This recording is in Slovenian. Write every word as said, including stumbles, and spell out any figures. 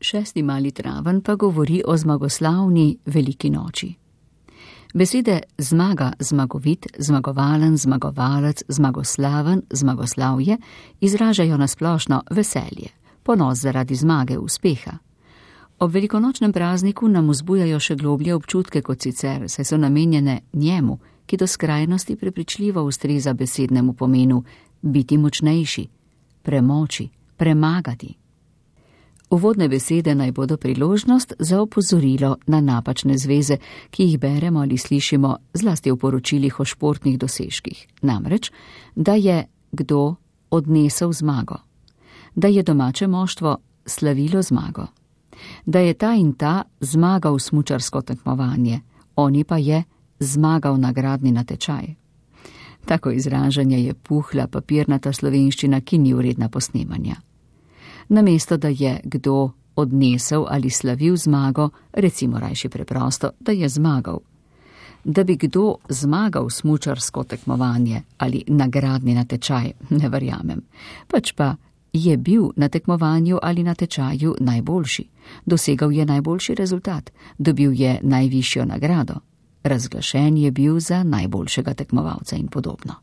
Šesti mali traven pa govori o zmagoslavni veliki noči. Besede zmaga, zmagovit, zmagovalen, zmagovalec, zmagoslaven, zmagoslavje izražajo nasplošno veselje, ponos zaradi zmage, uspeha. Ob velikonočnem prazniku nam vzbujajo še globlje občutke kot sicer, saj so namenjene njemu, ki do skrajnosti prepričljivo ustreza besednemu pomenu biti močnejši, premoči, premagati. Uvodne besede naj bodo priložnost za opozorilo na napačne zveze, ki jih beremo ali slišimo zlasti v poročilih o športnih dosežkih. Namreč, da je kdo odnesel zmago, da je domače moštvo slavilo zmago, da je ta in ta zmagal smučarsko tekmovanje, oni pa je zmagal nagradni natečaj. Tako izražanje je puhla papirnata slovenščina, ki ni vredna posnemanja. Namesto, da je kdo odnesel ali slavil zmago, recimo rajši preprosto, da je zmagal. Da bi kdo zmagal smučarsko tekmovanje ali nagradni natečaj, ne verjamem. Pač pa je bil na tekmovanju ali natečaju najboljši, dosegal je najboljši rezultat, dobil je najvišjo nagrado, razglašen je bil za najboljšega tekmovalca in podobno.